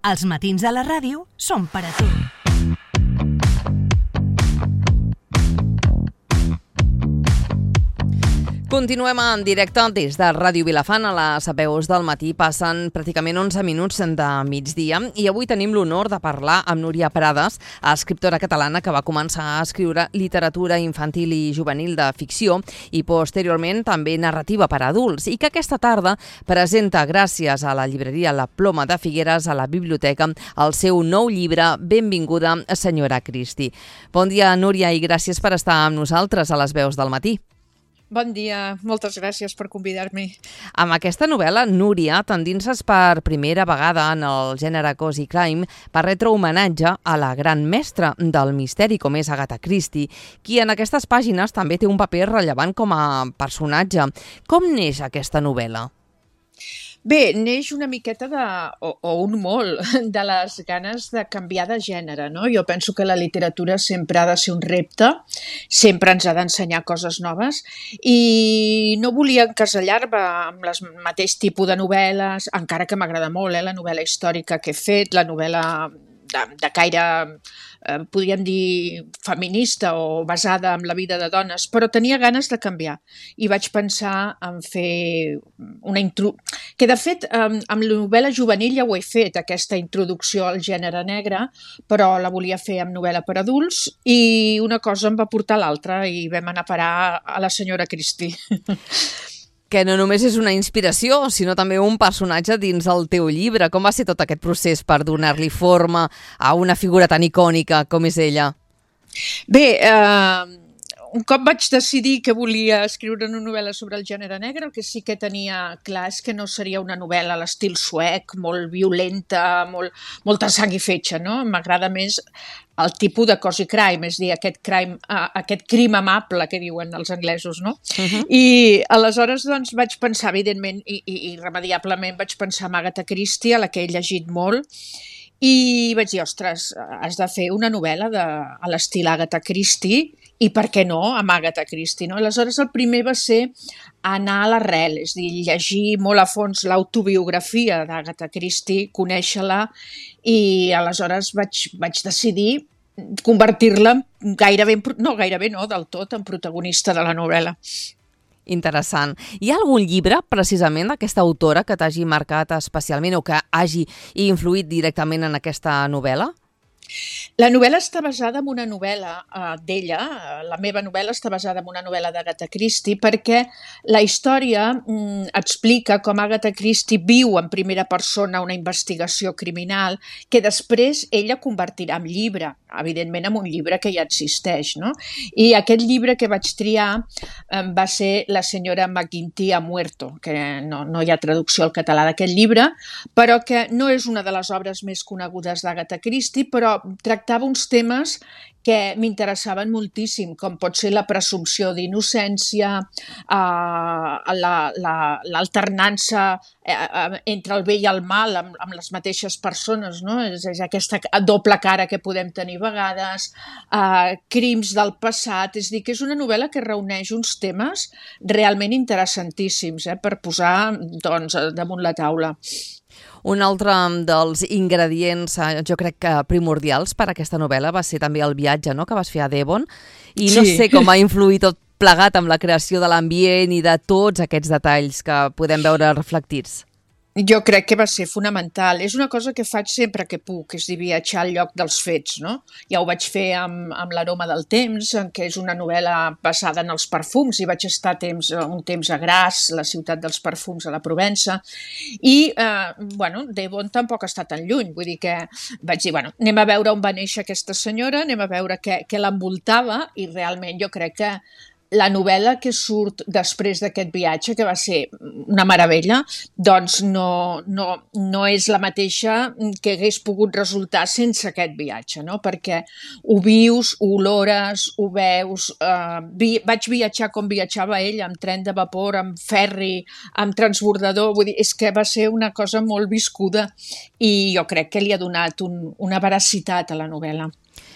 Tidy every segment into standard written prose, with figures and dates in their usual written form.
Els matins de la ràdio són per a tu. Continuem en directe des de Ràdio Vilafant. A les veus del matí passen pràcticament 11 minuts de migdia i avui tenim l'honor de parlar amb Núria Prades, escriptora catalana que va començar a escriure literatura infantil i juvenil de ficció i posteriorment també narrativa per a adults i que aquesta tarda presenta, gràcies a la llibreria La Ploma de Figueres, a la biblioteca, el seu nou llibre Benvinguda, senyora Christie. Bon dia, Núria, i gràcies per estar amb nosaltres a les veus del matí. Bon dia, moltes gràcies per convidar-me. Amb aquesta novel·la, Núria, t'endinses per primera vegada en el gènere cozy crime per retre homenatge a la gran mestra del misteri com és Agatha Christie, qui en aquestes pàgines també té un paper rellevant com a personatge. Com neix aquesta novel·la? Bé, neix una miqueta o un molt de les ganes de canviar de gènere, no? Jo penso que la literatura sempre ha de ser un repte, sempre ens ha d'ensenyar coses noves i no volia encasellar-me amb el mateix tipus de novel·les, encara que m'agrada molt la novel·la històrica que he fet, la novel·la de caire, podríem dir, feminista o basada en la vida de dones, però tenia ganes de canviar i vaig pensar en fer una que de fet amb la novel·la juvenil ja ho he fet, aquesta introducció al gènere negre, però la volia fer amb novel·la per adults i una cosa em va portar a l'altra i vam anar a parar a la senyora Christie. Que no només és una inspiració, sinó també un personatge dins el teu llibre. Com va ser tot aquest procés per donar-li forma a una figura tan icònica com és ella? Bé, un cop vaig decidir que volia escriure una novel·la sobre el gènere negre, el que sí que tenia clar és que no seria una novel·la a l'estil suec, molt violenta, molta sang i fetge, no? M'agrada més el tipus de cozy crime, és a dir, aquest crim amable que diuen els anglesos, no? I aleshores doncs vaig pensar, evidentment, i irremediablement vaig pensar en Agatha Christie, a la que he llegit molt, i vaig dir, ostres, has de fer una novel·la a l'estil Agatha Christie, i per què no, amb Agatha Christie, no? Aleshores el primer va ser anar a l'arrel, és a dir, llegir molt a fons l'autobiografia d'Agatha Christie, conèixer-la, i aleshores vaig decidir convertir-la del tot en protagonista de la novel·la. Interessant. Hi ha algun llibre, precisament, d'aquesta autora que t'hagi marcat especialment o que hagi influït directament en aquesta novel·la? La novel·la està basada en una novel·la d'ella, la meva novel·la està basada en una novel·la d'Agatha Christie perquè la història explica com Agatha Christie viu en primera persona una investigació criminal que després ella convertirà en llibre, evidentment en un llibre que ja existeix, no? I aquest llibre que vaig triar va ser La senyora McGinty ha muerto, que no hi ha traducció al català d'aquest llibre, però que no és una de les obres més conegudes d'Agatha Christie, però tractava uns temes que m'interessaven moltíssim, com pot ser la presumpció d'innocència, l'alternança entre el bé i el mal amb les mateixes persones, no? És aquesta doble cara que podem tenir a vegades, crims del passat, és a dir, que és una novel·la que reuneix uns temes realment interessantíssims per posar doncs, damunt la taula. Un altre dels ingredients, jo crec que primordials per a aquesta novel·la va ser també el viatge, no?, que vas fer a Devon, i no sé com ha influït tot plegat amb la creació de l'ambient i de tots aquests detalls que podem veure reflectits. Jo crec que va ser fonamental. És una cosa que faig sempre que puc, és dir, viatjar al lloc dels fets, no? Ja ho vaig fer amb L'aroma del temps, que és una novel·la basada en els perfums, i vaig estar un temps a Grasse, la ciutat dels perfums a la Provença, i, Devon tampoc està tan lluny, vull dir que vaig dir, anem a veure on va néixer aquesta senyora, anem a veure què l'envoltava, i realment jo crec que la novel·la que surt després d'aquest viatge, que va ser una meravella, doncs no és la mateixa que hagués pogut resultar sense aquest viatge, no? Perquè ho vius, ho olores, ho veus. Vaig viatjar com viatjava ella, amb tren de vapor, amb ferri, amb transbordador, vull dir, és que va ser una cosa molt viscuda i jo crec que li ha donat una veracitat a la novel·la.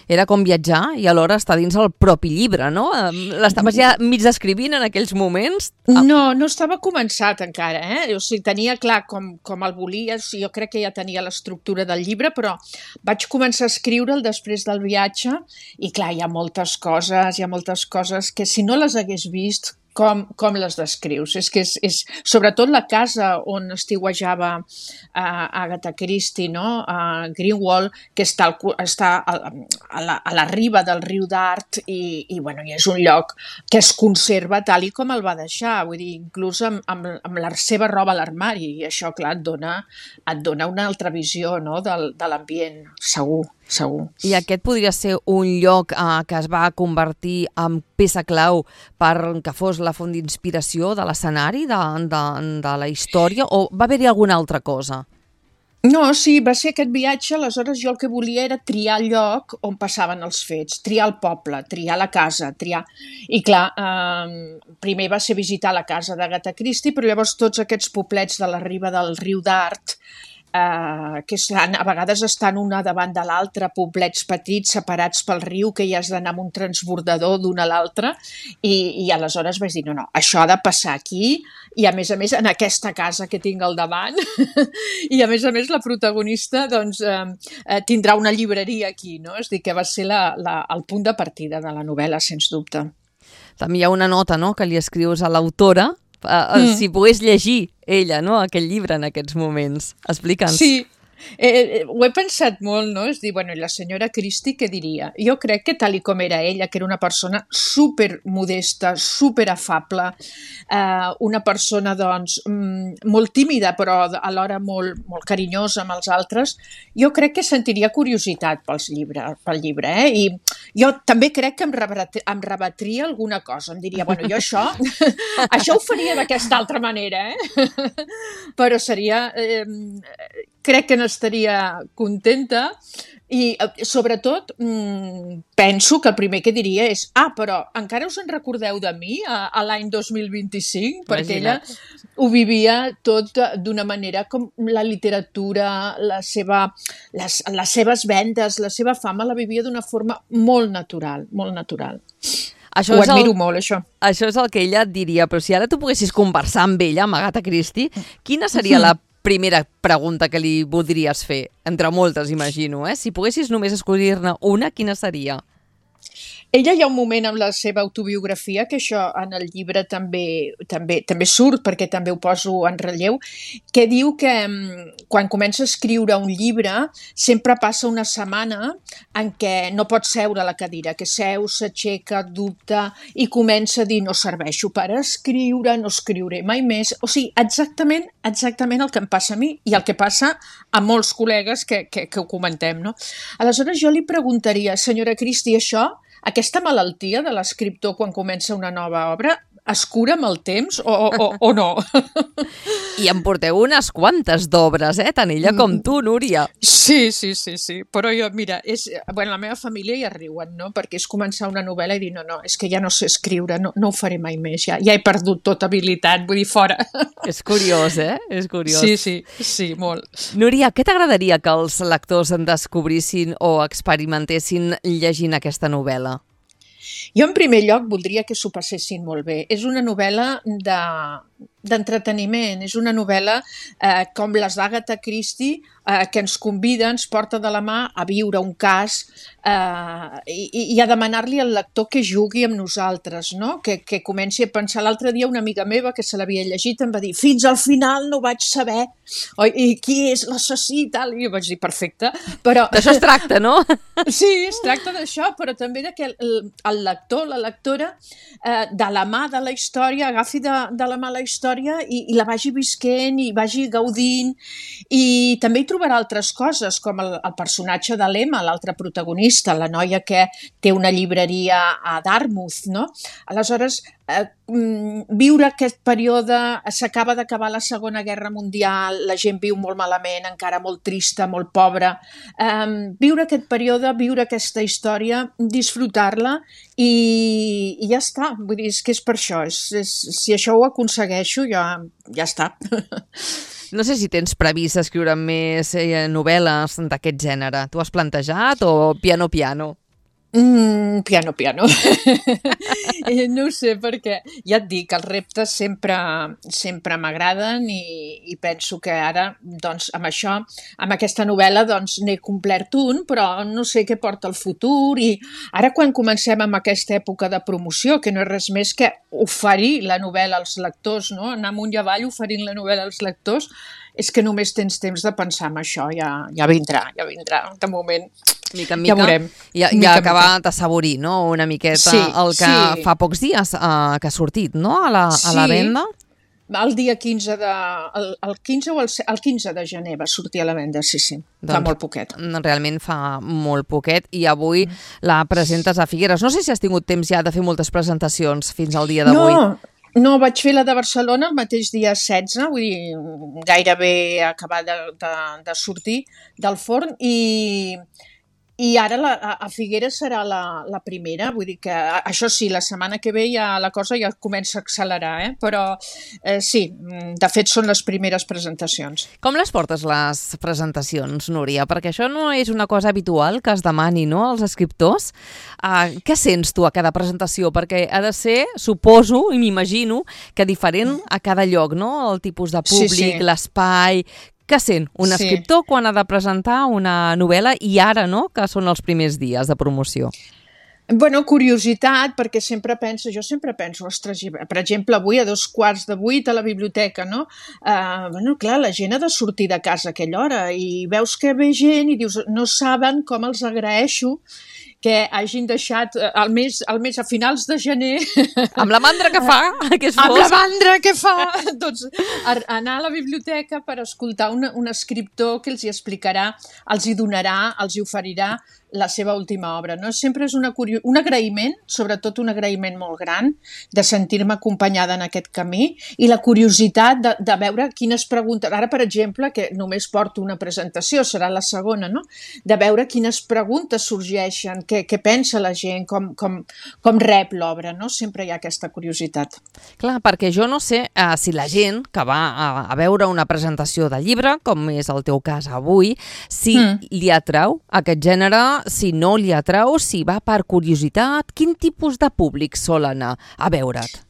Era com viatjar i alhora estar dins el propi llibre, no? L'estaves ja mig descrivint en aquells moments? No estava començat encara, O sigui, tenia clar com el volia, jo crec que ja tenia l'estructura del llibre, però vaig començar a escriure'l després del viatge i clar, hi ha moltes coses que si no les hagués vist, com les descrius? És que és sobretot la casa on estiuejava Agatha Christie, no? A Greenwald, que està a la riba del riu Dart i és un lloc que es conserva tal i com el va deixar, vull dir, inclús amb la seva roba a l'armari, i això, clar, et dona una altra visió, no? de l'ambient, segur. I aquest podria ser un lloc que es va convertir en peça clau perquè fos la font d'inspiració de l'escenari, de la història, o va haver-hi alguna altra cosa? No, sí, va ser aquest viatge, aleshores jo el que volia era triar el lloc on passaven els fets, triar el poble, triar la casa, I clar, primer va ser visitar la casa d'Agatha Christie, però llavors tots aquests poblets de la riba del riu Dart, que a vegades estan una davant de l'altra, poblets petits separats pel riu, que ja has d'anar amb un transbordador d'una a l'altra, i aleshores vaig dir, no, això ha de passar aquí, i a més en aquesta casa que tinc al davant, i a més la protagonista doncs, tindrà una llibreria aquí, no? És a dir, que va ser el punt de partida de la novel·la, sens dubte. També hi ha una nota, no?, que li escrius a l'autora, si pogués llegir ella, no?, aquell llibre en aquests moments. Explica'ns. Sí, ho he pensat molt, no? És dir, i la senyora Christie què diria? Jo crec que tal i com era ella, que era una persona super modesta, super afable, una persona, doncs, molt tímida, però alhora molt, molt carinyosa amb els altres, jo crec que sentiria curiositat pel llibre, I jo també crec que em rebatria alguna cosa, em diria, jo això ho faria d'aquesta altra manera, però seria... crec que n'estaria contenta i, sobretot, penso que el primer que diria és però encara us en recordeu de mi a l'any 2025? Perquè ella ho vivia tot d'una manera com la literatura, les seves vendes, la seva fama la vivia d'una forma molt natural, molt natural. Ho admiro molt, això. Això és el que ella et diria, però si ara tu poguessis conversar amb ella, amb Agatha Christie, quina seria la primera pregunta que li voldries fer? Entre moltes, imagino, Si poguessis només escollir-ne una, quina seria? Ella hi ha un moment en la seva autobiografia, que això en el llibre també surt, perquè també ho poso en relleu, que diu que quan comença a escriure un llibre sempre passa una setmana en què no pot seure a la cadira, que seu, s'aixeca, dubta i comença a dir no serveixo per escriure, no escriuré mai més. O sigui, exactament el que em passa a mi i el que passa a molts col·legues que ho comentem, no? Aleshores jo li preguntaria, senyora Christie, aquesta malaltia de l'escriptor quan comença una nova obra es cura amb el temps o no? I en porteu unes quantes d'obres, tant ella com tu, Núria. Sí, però jo, mira, la meva família ja riuen, no? Perquè és començar una novel·la i dir, no, és que ja no sé escriure, no ho faré mai més, ja he perdut tota habilitat, vull dir, fora. És curiós, És curiós. Sí, molt. Núria, què t'agradaria que els lectors en descobrissin o experimentessin llegint aquesta novel·la? Jo, en primer lloc, voldria que s'ho passessin molt bé. És una novel·la d'entreteniment, és una novel·la com les d'Agatha Christie, que ens convida, ens porta de la mà a viure un cas i a demanar-li al lector que jugui amb nosaltres, no? Que comenci a pensar. L'altre dia una amiga meva que se l'havia llegit em va dir fins al final no vaig saber i qui és l'assassí i tal, i jo vaig dir perfecte, però... D'això es tracta, no? Sí, es tracta d'això, però també que el lector, la lectora, de la mà de la història, agafi de la mà la història i la vagi visquent i vagi gaudint, i també hi trobarà altres coses, com el personatge de l'Emma, l'altra protagonista, la noia que té una llibreria a Dartmouth, no? Aleshores, viure aquest període, s'acaba d'acabar la Segona Guerra Mundial, la gent viu molt malament, encara molt trista, molt pobra, viure aquest període, viure aquesta història, disfrutar-la i ja està, vull dir, és que és per això, si això ho aconsegueixo ja està. No sé si tens previst escriure més novel·les d'aquest gènere. Tu has plantejat o piano? Piano. No ho sé, perquè ja et dic, els reptes sempre m'agraden i penso que ara, doncs, amb això, amb aquesta novel·la, doncs, n'he complert un, però no sé què porta el futur i ara quan comencem amb aquesta època de promoció, que no és res més que oferir la novel·la als lectors, no? Anar amunt i avall oferint la novel·la als lectors, és que només tens temps de pensar en això, ja vindrà, de moment. Mica en mica, ja veurem. Ja ha acabat d'assaborir, no?, una miqueta el que fa pocs dies que ha sortit, no?, a la venda. El dia 15 el 15 de gener va sortir a la venda, sí. Fa molt poquet. Realment fa molt poquet i avui la presentes a Figueres. No sé si has tingut temps ja de fer moltes presentacions fins al dia d'avui. No, vaig fer la de Barcelona el mateix dia 16, vull dir, gairebé acabar de sortir del forn i ara a Figueres serà la primera, vull dir que això sí, la setmana que ve ja la cosa ja comença a accelerar, però sí, de fet són les primeres presentacions. Com les portes les presentacions, Núria? Perquè això no és una cosa habitual que es demani, no?, als escriptors. Què sents tu a cada presentació? Perquè ha de ser, suposo i m'imagino, que diferent a cada lloc, no?, el tipus de públic, l'espai. Què sent un escriptor quan ha de presentar una novel·la i ara, no?, que són els primers dies de promoció? Bueno, curiositat, perquè jo sempre penso, ostres, per exemple, avui a 7:45 a la biblioteca, no? Clar, la gent ha de sortir de casa a aquella hora i veus que ve gent i dius, no saben com els agraeixo que hagin deixat el mes a finals de gener... Amb la mandra que fa, que és fosc. Amb la mandra que fa! Doncs anar a la biblioteca per escoltar un escriptor que els hi explicarà, els hi donarà, els hi oferirà la seva última obra, no? Sempre és un agraïment, sobretot un agraïment molt gran, de sentir-me acompanyada en aquest camí i la curiositat de veure quines preguntes... Ara, per exemple, que només porto una presentació, serà la segona, no? De veure quines preguntes sorgeixen, què pensa la gent, com rep l'obra, no? Sempre hi ha aquesta curiositat. Clar, perquè jo no sé si la gent que va a veure una presentació de llibre, com és el teu cas avui, si li atrau aquest gènere, si no li atrau, si va per curiositat, quin tipus de públic sol anar a veure't?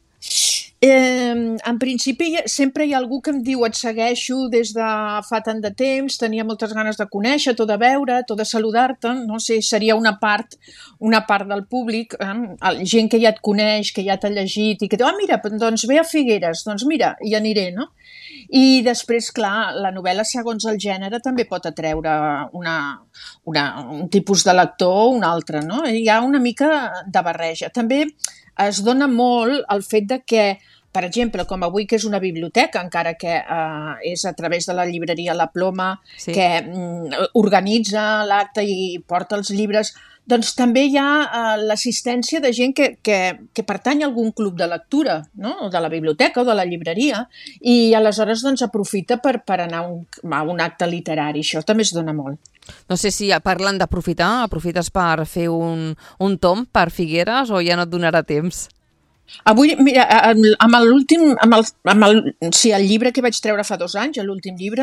En principi sempre hi ha algú que em diu et segueixo des de fa tant de temps, tenia moltes ganes de conèixer-te o de veure't o de saludar-te, no sé, seria una part del públic, gent que ja et coneix, que ja t'ha llegit i que diu, mira, doncs ve a Figueres, doncs mira, hi aniré, no? I després, clar, la novel·la segons el gènere també pot atreure un tipus de lector o un altre, no? Hi ha una mica de barreja. També es dona molt el fet de que, per exemple, com avui que és una biblioteca, encara que és a través de la llibreria La Ploma, que organitza l'acte i porta els llibres, doncs també hi ha l'assistència de gent que pertany a algun club de lectura, no? O de la biblioteca o de la llibreria, i aleshores doncs, aprofita per anar a un acte literari. Això també es dona molt. No sé si parlant d'aprofitar, aprofites per fer un tom per Figueres o ja no et donarà temps? Avui, mira, el llibre que vaig treure fa 2 anys, l'últim llibre,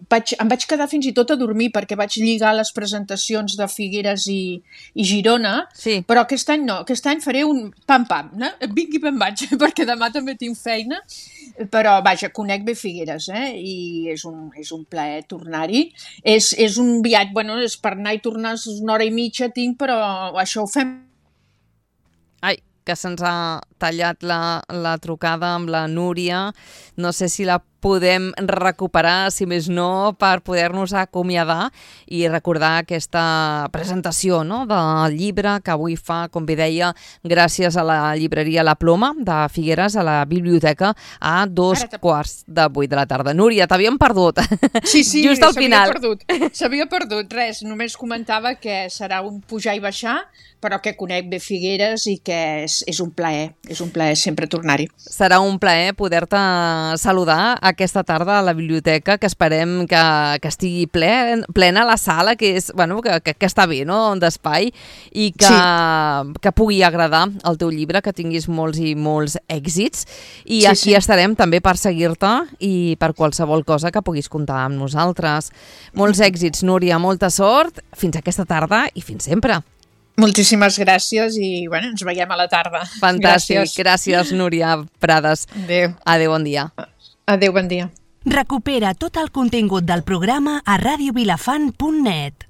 em vaig quedar fins i tot a dormir perquè vaig lligar les presentacions de Figueres i Girona, però aquest any no, aquest any faré un pam-pam, no? Vingui me'n vaig, perquè demà també tinc feina, però vaja, conec bé Figueres, i és un plaer tornar-hi. És un viatge, bueno, és per anar i tornar 1 hora i mitja tinc, però això ho fem. Ai, que se'ns ha tallat la trucada amb la Núria. No sé si la podem recuperar, si més no, per poder-nos acomiadar i recordar aquesta presentació, no?, del llibre que avui fa, com bé deia, gràcies a la llibreria La Ploma de Figueres, a la biblioteca, a 7:15 de la tarda. Núria, t'havíem perdut. Sí, just al final. S'havia perdut. Res, només comentava que serà un pujar i baixar, però que conec bé Figueres i que és un plaer sempre tornar-hi. Serà un plaer poder-te saludar aquesta tarda a la biblioteca, que esperem que estigui plena la sala, que és, bueno, que està bé, no?, d'espai, i que pugui agradar el teu llibre, que tinguis molts i molts èxits, i aquí estarem també per seguir-te i per qualsevol cosa que puguis comptar amb nosaltres. Molts èxits, Núria, molta sort, fins aquesta tarda i fins sempre. Moltíssimes gràcies i ens veiem a la tarda. Fantàstic. Gràcies, Núria Prades. Adéu. Adéu, bon dia. Adéu, bon dia. Recupera tot el contingut del programa a radiovilafant.net.